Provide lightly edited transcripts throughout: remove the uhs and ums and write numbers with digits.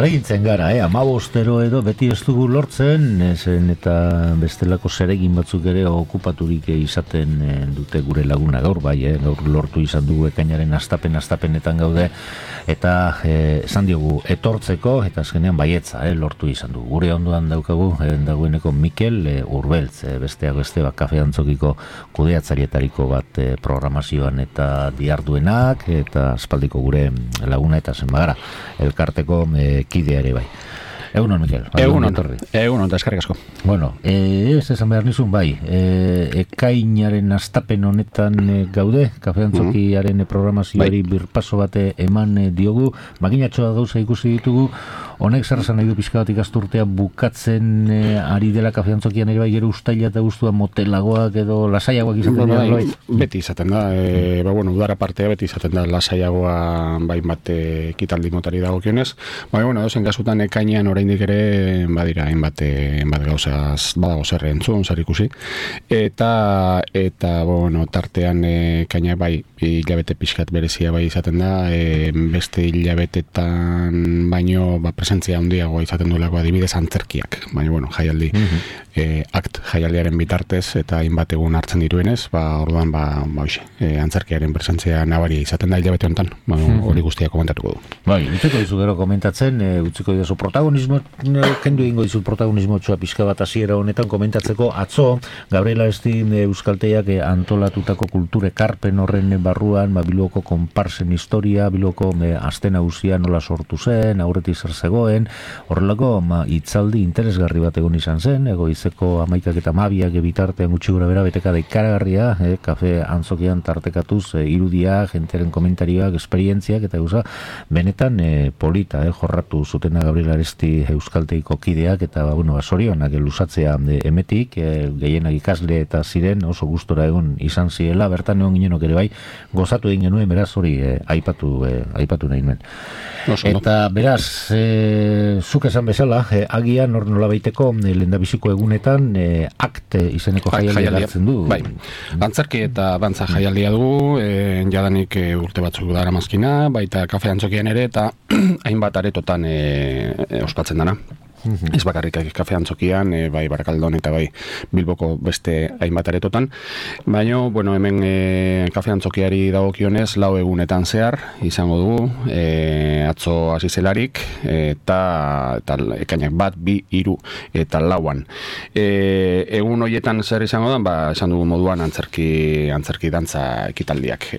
Argintzen gara, 15 edo beti ez dugu lortzen, zen eta bestelako zeregin batzuk ere okupaturik izaten dute gure laguna gaur, bai, gaur lortu izan dugu ekainaren astapenetan gaude, eta esan diogu etortzeko, eta azkenean baietza, lortu izan dugu. Gure ondoan daukagu, dagoeneko Mikel Urbeltz, besteak beste, kafe antzokiko kudeatzarietariko bat programazioan eta diarduenak, eta aspaldiko gure laguna eta zenbagara, elkarteko kidea ere bai. Egunon, Mikel. Egunon, eskerrik asko. Bueno, ez esan behar nizun, bai, ekainaren astapen honetan gaude, kafe antzokiaren programazioari birpaso bate eman diogu, makinatxoa gauza ikusi ditugu, honek zer esan nahi du pixka bat ikasturtea bukatzen ari dela kafe antzokian ere bai, gero ustaila eta guztua motelagoak edo lasaiagoak izaten dira? Beti izaten da, udara partea beti izaten da lasaiagoa bai bat ekitaldi motari dagokionez, dozen kasutan ekainean oraindik ere badira hainbat gauzaz badago zer entzun, zer ikusi eta tartean ekaina bai hilabete pixkat berezia bai izaten da, beste hilabetetan baino presentzia handiagoa izaten duelako adibidez antzerkiak, baina jaialdi jaialdiaren bitartez eta hainbat egun hartzen diruenez, orduan antzerkiaren presentzia nabaria izaten da hilabete honetan, hori guztia komentatuko du. Bai, utziko dizu gero komentatzen, utziko dizu protagonismo, kendu egingo dizu protagonismo txua pixka bat hasiera honetan komentatzeko atzo, Gabriela Esti Euskalteak antolatutako kulture karpen horren barruan, Bilboko konparsen historia, Bilboko aste nagusia nola sortu zen, aurretik zer zegoen, horrelako hitzaldi interesgarri bat egon izan zen, egoizeko 11 eta 12 bitartean gutxi gora bera betekada ikaragarria, kafe antzokian tartekatuz irudia, jenteren komentarioak, esperientziak, eta benetan polita, jorratu zutena Gabriela Esti Euskalteiko kideak, eta zorionak luzatzea emetik, gehienak ikasle eta ziren oso gustora egon izan zirela, bertan egon ginenok ere bai, gozatu egin genuen, beraz hori aipatu nahi nuen. Eta beraz, zuk esan bezala, agian hor nola baiteko lehendabiziko egunetan akte izeneko jaialdia hartzen du. Bai, antzerki eta dantza jaialdia dugu, jadanik urte batzuk dara mazkina, baita kafe antzokian ere, eta hainbat aretotan ospatzen dana. Ez bakarrik kafe antzokian, bai Barakaldon eta bai Bilboko beste hainbat aretotan. Baina, hemen kafe antzokiari dagokionez 4 egunetan zehar izango dugu, atzo hasi zelarik, eta ekainak 1, 2, 3 eta 4. Egun horietan zer izango da, esan dugu moduan antzerki dantza ekitaldiak.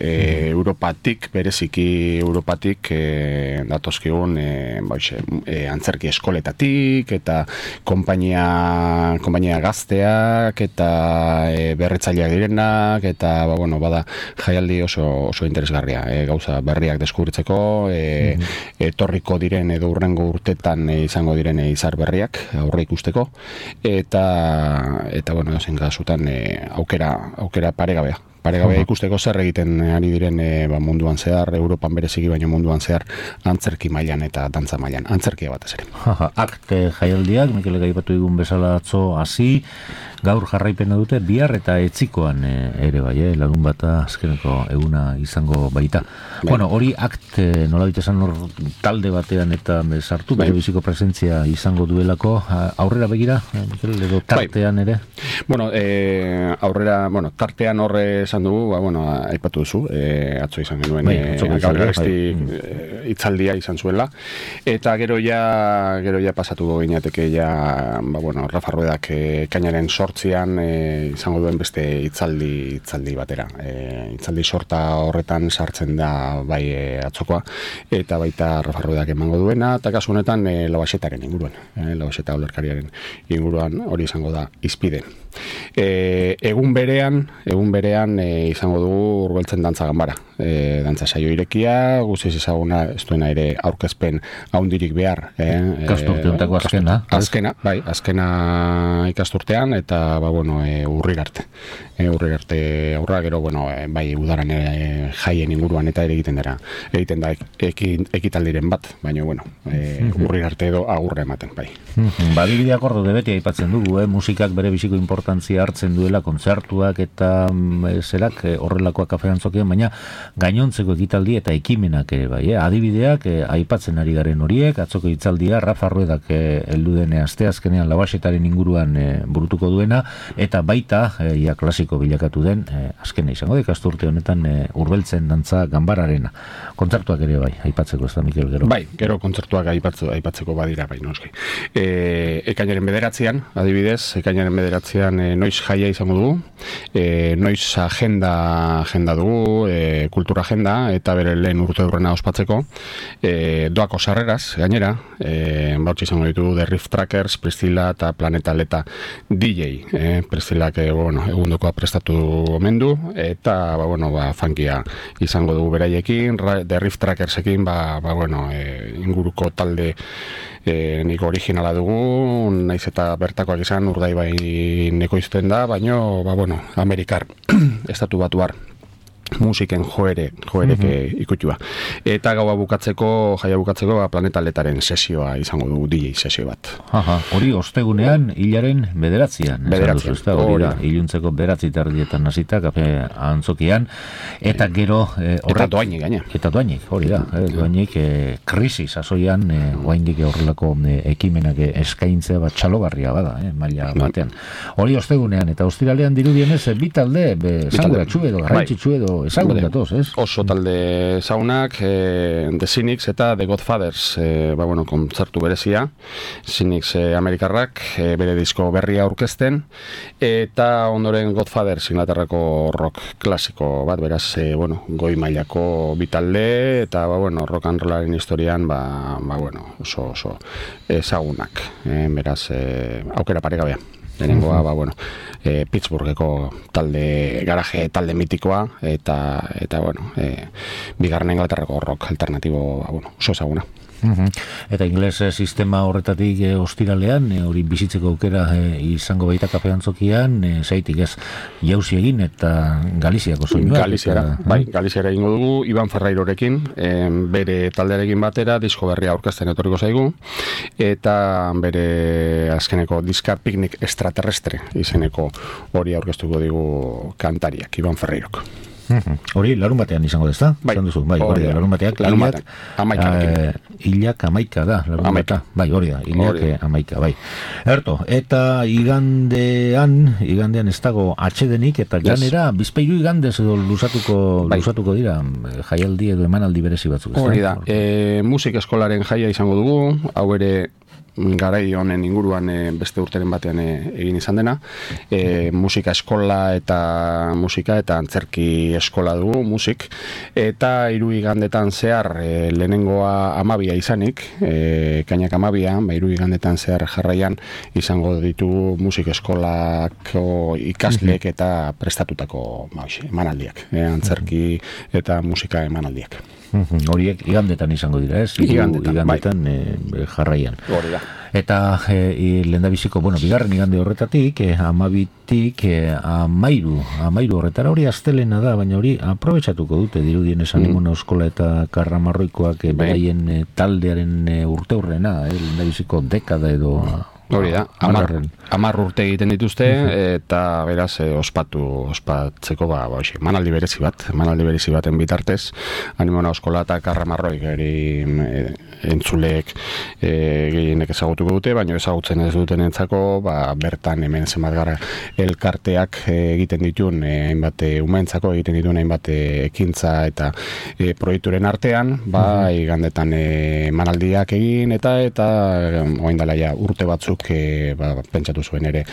Europatik, bereziki Europatik datozkigun antzerki eskoletatik, eta konpainia gazteak eta berritzaileak direnak, eta bada jaialdi oso interesgarria, gauza berriak deskubritzeko, etorriko diren edo urrengo urtetan izango diren izar berriak aurre ikusteko, eta zen gazutan aukera paregabea ikusteko zer egiten ari diren munduan zehar, Europan bereziki baino munduan zehar, antzerki mailan eta dantza mailan, antzerkia batez ere. Akte jaialdiak, Mikel gaipatu digun bezala atzo hasi, gaur jarraipena dute, bihar eta etzikoan ere bai, lagun bata azkeneko eguna izango baita. Hori akte, nola bitesan hor talde batean eta sartu, bere biziko presentzia izango duelako, aurrera begira, Mikel, edo tartean ere? Tartean horre esan dugu, aipatu duzu, atzo izan genuen Gabriela Esti hitzaldia izan zuela, eta gero ja pasatu ginateke Rafa Ruedak kainaren sortzian izango duen beste hitzaldi batera. Hitzaldi sorta horretan sartzen da bai atzokoa, eta baita Rafa Ruedak emango duena, eta kasu honetan Lauaxetaren inguruan, Lauaxeta olerkariaren inguruan, hori izango da hizpide. Egun berean izango dugu Urbeltzen dantza ganbara, dantza saio irekia, guztiz ezaguna ez duena ere aurkezpen haundirik behar, ikasturteontako azkena ikasturtean, eta urrir arte aurra, gero bai udaran jaien inguruan eta ere egiten da ekitaldiren bat, baina urrir arte edo agurra ematen bai. Badibideak ordo beti aipatzen dugu, musikak bere biziko importantzia hartzen duela, kontzertuak eta zerak horrelakoak kafe antzokian, baina gainontzeko ekitaldi eta ekimenak ere bai, adibideak aipatzen ari garen horiek, atzoko hitzaldia Rafa Ruedak heldu dene asteazkenean Labaxetaren inguruan burutuko duena, eta baita ia klasiko bilakatu den azkena izango da ikasturte honetan Urbeltzen dantza ganbararena. Kontzertuak ere bai, aipatzeko ez da, Mikel, gero? Bai, gero kontzertuak aipatzeko badira, bai, noski. Ekainaren 9, adibidez, ekainaren 9 noiz jaia izango dugu, noiz agenda dugu, kultura agenda, eta bere lehen urte urrena ospatzeko, doako sarreraz, gainera, bautzi izango ditugu The Riff Trackers, Priscilla eta Planeta Leta DJ, Priscillak egundokoa prestatu omen du, eta funkia izango dugu beraiekin, The Riff Trackersekin, inguruko talde nik originala dugu, naiz eta bertakoak izan Urdaibai nekoizten da, baino, Amerikar, estatu batuar musiken joerek ikutua. Eta jaia bukatzeko, Planeta Letaren sesioa izango du, DJ sesio bat. Hori ostegunean, hilaren 9, hori da, iluntzeko 9 hasita, kafe antzokian, eta gero... eta doainik, gaina. Eta doainik, hori da, doainik krisi sasoian, oaindik horrelako ekimenak eskaintzea bat txalogarria bada, maila batean. Hori ostegunean, eta ostiralean dirudienez, bitalde, zanguratxu edo, garrantzitsu edo, ezagunkatoz, ez? Oso talde zaunak, The Cynics eta The Godfathers, kontzertu berezia, Cynics Amerikarrak, bere disko berria aurkezten, eta ondoren Godfathers Inglaterrako rock klasiko bat, beraz, goi mailako bitalde, eta, rock and rollaren historian, oso ezagunak, beraz, aukera paregabea. Lehenengoa, Pittsburgheko garaje talde mitikoa, eta bigarren Inglaterrako rock alternatibo, oso ezaguna. Eta ingles sistema horretatik ostiralean, hori bizitzeko aukera izango baita kafe antzokian, zaitik ez jauzi egin eta Galiziako soinua. Galiziara egingo dugu, Iban Ferrairorekin, bere taldearekin batera, disko berria aurkezten etorriko zaigu, eta bere azkeneko diska Picnic Extraterrestre izeneko hori aurkeztuko digu kantariak, Iban Ferrairok. Hori, larun batean izango dezta? Larun bateak, hilak 11 da, larun batean, hori da, hilak 11, bai. Erto, eta igandean ez dago atxedenik, eta ganera, bizpeiru igandez edo lusatuko dira, jaialdi edo emanaldi berezi batzuk. Hori da, musik eskolaren jaia izango dugu, hau ere, garai honen inguruan beste urteren batean egin izan dena, musika eskola eta antzerki eskola dugu, musik, eta 3 igandetan zehar lehenengoa 12 izanik, kainak 12, 3 igandetan zehar jarraian izango ditugu musik eskolako ikasleek eta prestatutako emanaldiak, antzerki eta musika emanaldiak. Horiek igandetan izango dira, ez? Igandetan jarraian. Hori da. Eta lehendabiziko, bigarren igande horretatik, 12tik 13 horretara, hori astelena da, baina hori aprobetxatuko dute dirudien esan Animona Eskola eta Karramarroikoak beraien taldearen urte hurrena, lehendabiziko dekada edo... Hori da, 10 urte egiten dituzte, eta beraz ospatzeko manaldi berezi baten bitartez, Animona Eskola eta Karramarroik entzuleek gehienek ezagutuko dute, baina ezagutzen ez duten entzako, bertan hemen zenbat gara elkarteak egiten dituen, hainbat umeentzako egiten dituen hainbat ekintza eta proiekturen artean, igandetan manaldiak egin, eta orain dela ja urte batzuk pentsatu zuen ere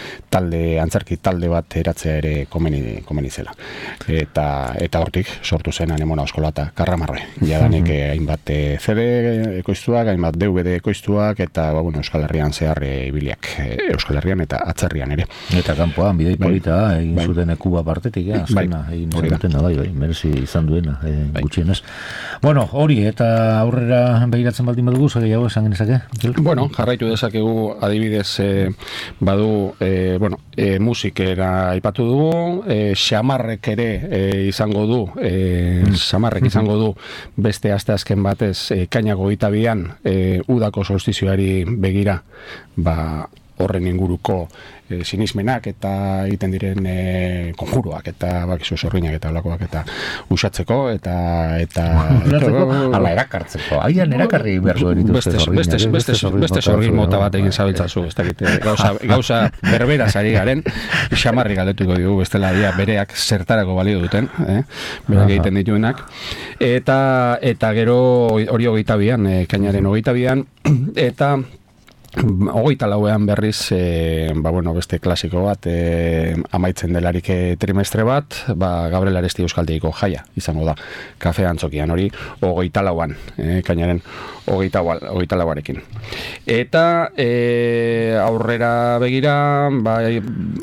antzerki talde bat eratzea ere komeni zela. Eta hortik sortu zen Animona Eskola eta Karramarroi. Jadanik hainbat CD ekoiztuak, hainbat DVD ekoiztuak, eta Euskal Herrian zehar ibiliak, Euskal Herrian eta atzerrian ere. Eta kanpoan, bidei polita, egin zuten Kuba partetik, azkena, egin zuten da, merezi izan duena, gutxienez. Hori, eta aurrera behiratzen baldin badugu, gehiago esan genezake? Jarraitu dezakegu adibidez badu musikera aipatu dugu, xamarrek ere izango du, izango du beste asteazken batez kainako 22an udako solstizioari begira horren inguruko sinismenak eta egiten diren konjuruak eta bakizu sorginak eta olakoak eta usatzeko eta ala erakartzeko. Aian erakarri behar duen dituzte beste sorgin mota bat egin zabiltzazu, ez dakit, gauza berbera zari garen, xamarri galdetuko dugu, bestela dia bereak zertarako balio duten, berak egiten dituenak, eta gero hori 22an, ekainaren 22an, eta 24an berriz, beste klasiko bat, amaitzen delarik trimestre bat, Gabriel Aresti Euskaltegiko jaia izango da, kafe antzokian hori, 24an, kainaren 24arekin. Eta aurrera begira,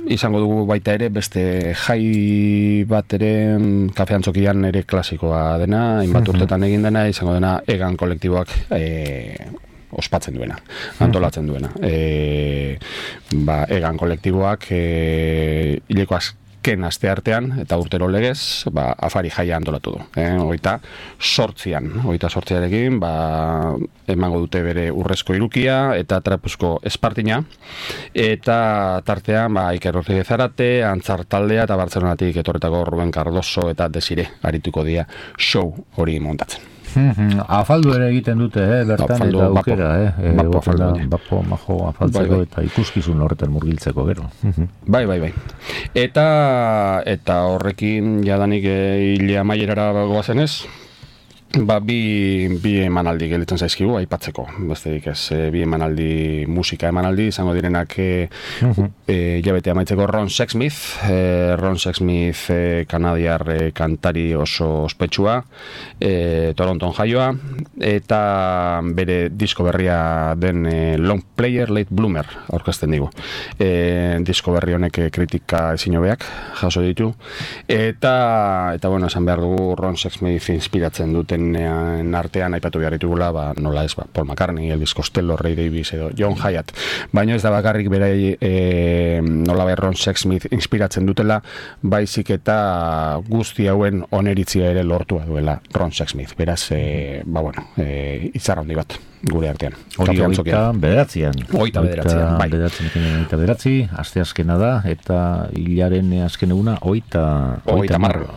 izango dugu baita ere, beste jai bat ere, kafe antzokian ere klasikoa dena, hainbat urtetan egin dena, izango dena egan kolektiboak ospatzen duena, antolatzen duena. Egan kolektiboak hileko azken aste artean, eta urtero legez, afari jaia antolatu du. 28arekin, emango dute bere urrezko irukia, eta trapuzko espartina, eta tartean, Iker Ortega Zarate, Antzar taldea, eta Bartzelonatik etorretako Ruben Cardoso, eta Desire arituko dira show hori montatzen. Afaldu ere egiten dute, bertan eta aukera, bapo, majo, afaltzeko eta ikuskizun horretan murgiltzeko gero. Bai. Eta horrekin jadanik hile amaierara goazen ez, bi emanaldi gelditzen zaizkigu aipatzeko, besterik ez, bi emanaldi, musika emanaldi, izango direnak jabete amaitzeko Ron Sexsmith, kanadiar kantari oso ospetsua, Toronton jaioa, eta bere disko berria den Long Player Late Bloomer aurkezten digu. Disko berri honek kritika ezin hobeak jaso ditu, eta esan behar dugu Ron Sexsmith inspiratzen duten artean aipatu behar ditugula, nola ez, Paul McCartney, Elvis Costello, Ray Davies edo John Hyatt, baina ez da bakarrik berai nola Ron Sexsmith inspiratzen dutela, baizik eta guzti hauen oneritzia ere lortua duela Ron Sexsmith, beraz itzarra handi bat gure artean. Hori 29an. 29an, asteazkena da, eta hilaren azken eguna 30.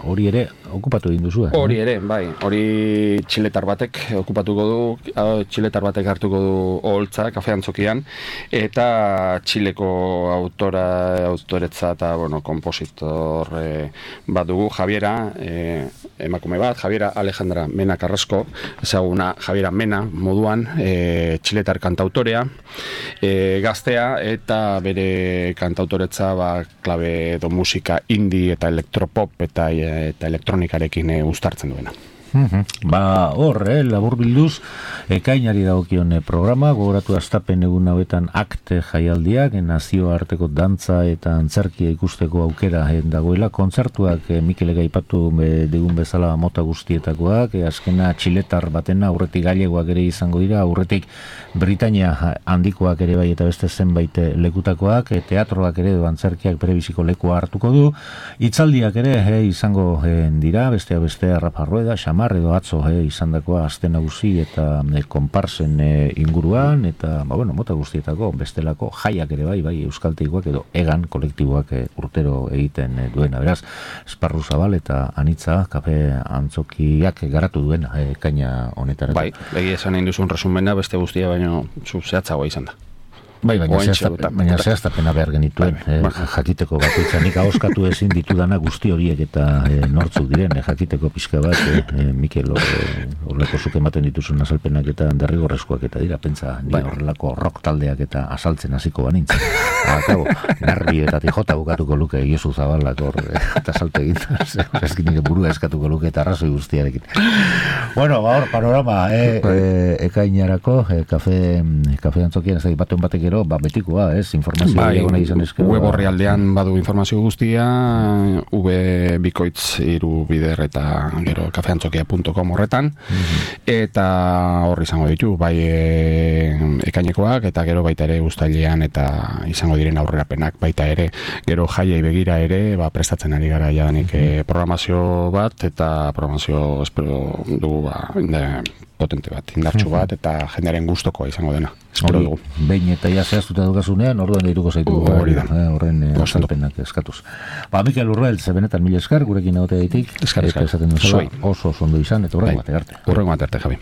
Hori ere okupatu egin duzu. Hori ere, bai. Hori txiletar batek okupatuko du, txiletar batek hartuko du oholtza, kafe antzokian, eta Txileko autoretza eta, kompositor bat dugu, Javiera, emakume bat, Javiera Alejandra Mena Carrasco, ezaguna Javiera Mena moduan, txiletar kantautorea, gaztea, eta bere kantautoretza klabe edo musika indie eta elektropop eta elektronikarekin uztartzen duena. Hor, labur bilduz, ekainari dagokion programa, gogoratu astapen egun hauetan akte jaialdiak, nazioarteko dantza eta antzerkia ikusteko aukera dagoela, kontzertuak Mikel aipatu digun bezala mota guztietakoak, azkena txiletar batena, aurretik galegoak ere izango dira, aurretik Britania handikoak ere bai eta beste zenbait lekutakoak, teatroak ere edo antzerkiak berebiziko lekua hartuko du, hitzaldiak ere izango dira, beste Rafa Rueda, Xamar edo atzo izandakoa aste nagusi eta konparsen inguruan, eta mota guztietako bestelako jaiak ere bai euskalteikoak edo egan kolektiboak urtero egiten duena, beraz esparru zabal eta anitza kafe antzokiak garatu duena ekaina honetan. Bai, egia esan egin duzun resumena beste guztia baino zehatzagoa izan da. Bai, baina zehaztapena behar genituen, jakiteko bakoitza, nik ahoskatu ezin ditudana guzti horiek eta nortzuk diren, jakiteko pixka bat, Mikel horrelako zuk ematen dituzun azalpenak eta derrigorrezkoak eta dira, pentsa, ni horrelako rock taldeak eta asaltzen hasiko banintzen. Akabo, Narri eta Tijota bukatuko luke, Iosu Zabalak hor, eta salte egin, ezkin nire burua eskatuko luke eta arrazoi guztiarekin. Bueno, hor, panorama, ekainarako, kafe antzokian, ez da, batuen batek betikoa, informazioa egona izan ezkero. Web orrialdean badu informazio guztia, bikoitz bider eta gero kafeantzokia.com horretan, eta horri izango ditu, bai ekainekoak, eta gero baita ere uztailean eta izango diren aurrerapenak baita ere, gero jaiei begira ere, prestatzen ari gara jadanik programazio bat, eta programazio espero dugu potente bat, indartsu bat, eta jendearen gustokoa izango dena. Espero dugu. Behin eta ja zehaztuta dukazunean, orduan deituko zaitu horren azalpenak eskatuz. Mikel Urrel, benetan mila esker, gurekin egotea ditik, esker, oso ondo izan, eta horrengo bat arte. Horrengo bat arte, Javi.